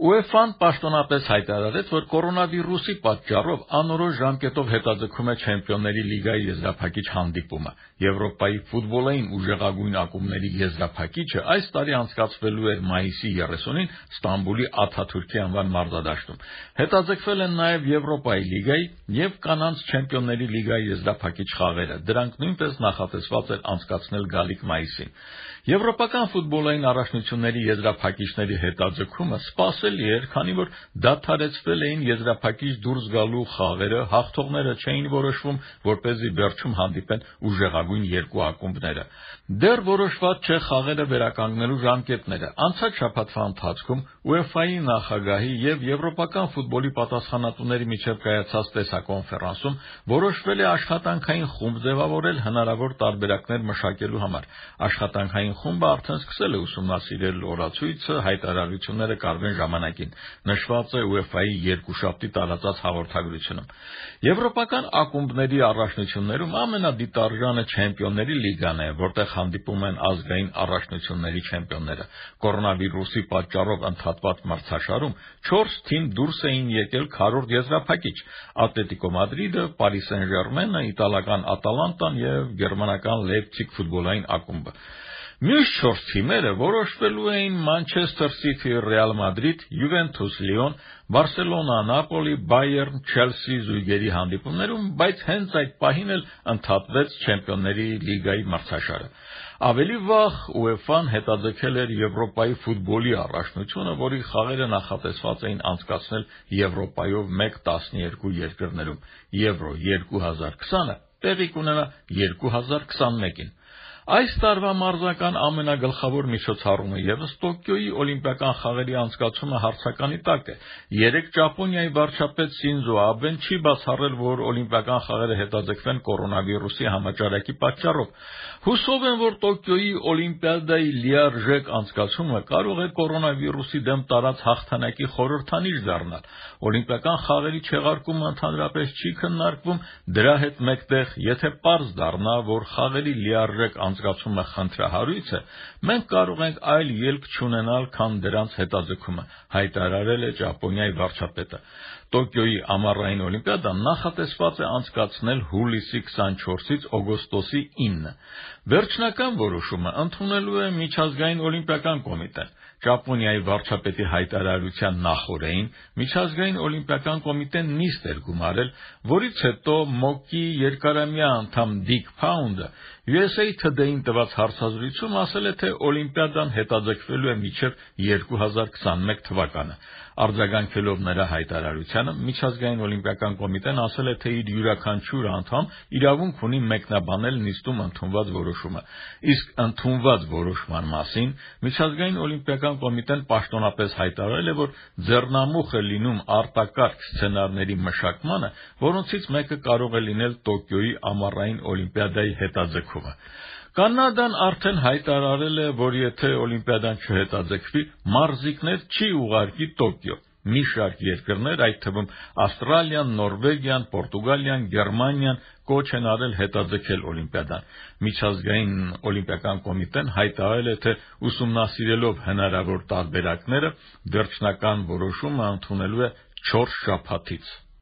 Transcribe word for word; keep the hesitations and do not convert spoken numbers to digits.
ՈՒԵՖԱ-ն պաշտոնապես հայտարարեց, որ կորոնավիրուսի պատճառով անորոշ ժամկետով հետաձգում է Չեմպիոնների լիգայի եզրափակիչ հանդիպումը։ Եվրոպայի ֆուտբոլային ուժեղագույն ակումբների եզրափակիչը այս տարի անցկացվելու էր մայիսի երեսունին Ստամբուլի Աթաթուրքի անվան մարզադաշտում։ Հետաձգվել են նաև Եվրոպայի լիգայի և կանանց Չեմպիոնների լիգայի եզրափակիչ խաղերը։ Դրանք նույնպես նախատեսված էր անցկացնել գալիք մայիսին։ Եվրոպական ֆուտբոլային առաջնությունների եզրափակիչների հետաձգումը սպասելի էր, քանի որ դադարեցվել էին եզրափակիչ դուրս գալու խաղերը, հաղթողները չէին որոշվում, որպեսզի վերջում հանդիպեն ուժեղագույն երկու ակումբները։ Դեռ որոշված չէ խաղերը վերականգնելու ժամկետները։ Անցած շաբաթվա ընթացքում ՈՒԵՖԱ-ի նախագահի և Եվրոպական ֆուտբոլի պատասխանատուների միջև կայացած տեսակոնֆերանսում որոշվել է աշխատանքային խումբ ձևավորել հնարավոր տարբերակներ մշակելու համար։ Աշխատանքային խումբը արդեն սկսել է ուսումնասիրել օրացույցը, հայտարարությունները կարվեն ժամանակին, նշված է ՈՒԵՖԱ-ի երկուշաբթի տարածած հաղորդագրությունում։ Եվրոպական ակումբների առաջնություններում ամենադիտարժանը Չեմպիոնների լիգան է, որտեղ հանդիպում են ազգային առաջնությունների չեմպիոնները։ Կորոնավիրուսի պատճառով ընդհատված մրցաշարում չորս թիմ դուրս էին եկել քառորդ եզրափակիչ՝ Ատլետիկո Մադրիդը, Պարի Սեն-Ժերմենը, իտալական Ատալանտան և գերմանական Լեյպցիգ ֆուտբոլային ակումբը։ Մյուս չորս թիմերը որոշվելու էին Մանչեսթեր Սիթի, Ռեալ Մադրիդ, Յուվենթուս, Լիոն, Բարսելոնա, Նապոլի, Բայերն, Չելսի զույգերի հանդիպումներում, բայց հենց այդ պահին էլ ընդհատվեց Չեմպիոնների լիգայի մրցաշարը։ Ավելի վաղ ՈՒԵՖԱ-ն հետաձգել էր Եվրոպայի ֆուտբոլի առաջնությունը, որի խաղերը նախատեսված էին անցկացնել Եվրոպայով մեկ տասներկու երկրներում։ Եվրո երկու հազար քսանը տեղի կունենա երկու հազար քսանմեկին։ Այս տարվա մարզական ամենագլխավոր միջոցառումը ևս Տոկիոյի օլիմպիական խաղերի անցկացումը հարցականի տակ է։ Երեկ Ճապոնիայի վարչապետ Սինզո Աբեն չի բացառել, որ օլիմպիական խաղերը հետաձգվեն կորոնավիրուսի համաճարակի պատճառով։ Հուսով եմ, որ Տոկիոյի օլիմպիադայի լիարժեք անցկացումը կարող է կորոնավիրուսի դեմ տարած հաղթանակի խորհրդանիշ դառնալ։ Օլիմպիական խաղերի չեղարկումը ընդհանրապես չի քննարկվում, դրա հետ մեկտեղ, եթե պարզ դառնա, որ խաղերի լիարժեք անցկացումը խնդրահարույց է, մենք կարող ենք այլ ելք չունենալ, քան դրանց հետաձգումը, հայտարարել է Ճապոնիայի վարչապետը։ Տոկիոյի ամառային օլիմպիադան նախատեսված է անցկացնել հուլիսի քսանչորսից օգոստոսի ինը։ Վերջնական որոշումը ընդունելու է Միջազգային օլիմպիական կոմիտեն։ Ճապոնիայի վարչապետի հայտարարության նախօրեին Միջազգային օլիմպիական կոմիտեն նիստ էր գումարել, որից հետո ՄՕԿ-ի երկարամյա անդամ Դիկ Փաունդը յու էս էյ Today-ին տված հարցազրույցում ասել է, թե օլիմպիադան հետաձգվելու է մինչև երկու հազար քսանմեկ թվականը։ Արձագանքելով նրա հայտարարությանը, Միջազգային օլիմպիական կոմիտեն ասել է, թե իր յուրաքանչյուր անդամ իրավունք ունի մեկնաբանել նիստում ընդունված որոշումը։ Իսկ ընդունված որոշման մասին Միջազգային օլիմպիական կոմիտեն պաշտոնապես հայտարարել է, որ ձեռնամուխ է լինում արտակարգ սցենարների մշակմանը, որոնցից մեկը կարող է լինել Տոկիոյի ամառային օլիմպիադայի հետաձգումը։ Կանադան արդեն հայտարարել է, որ եթե օլիմպիադան չհետաձգվի, մարզիկներ չի ուղարկի Տոկիո։ Մի շարք երկրներ, այդ թվում Ավստրալիան, Նորվեգիան, Պորտուգալիան, Գերմանիան կոչ են արել հետաձգել օլիմպիադան։ Միջազգային օլիմպիական կոմիտեն հայտարարել է, թե ուսումնասիրելով հնարավոր տարբերակները, վերջնական որոշումը ընդունելու է չորս շաբաթից։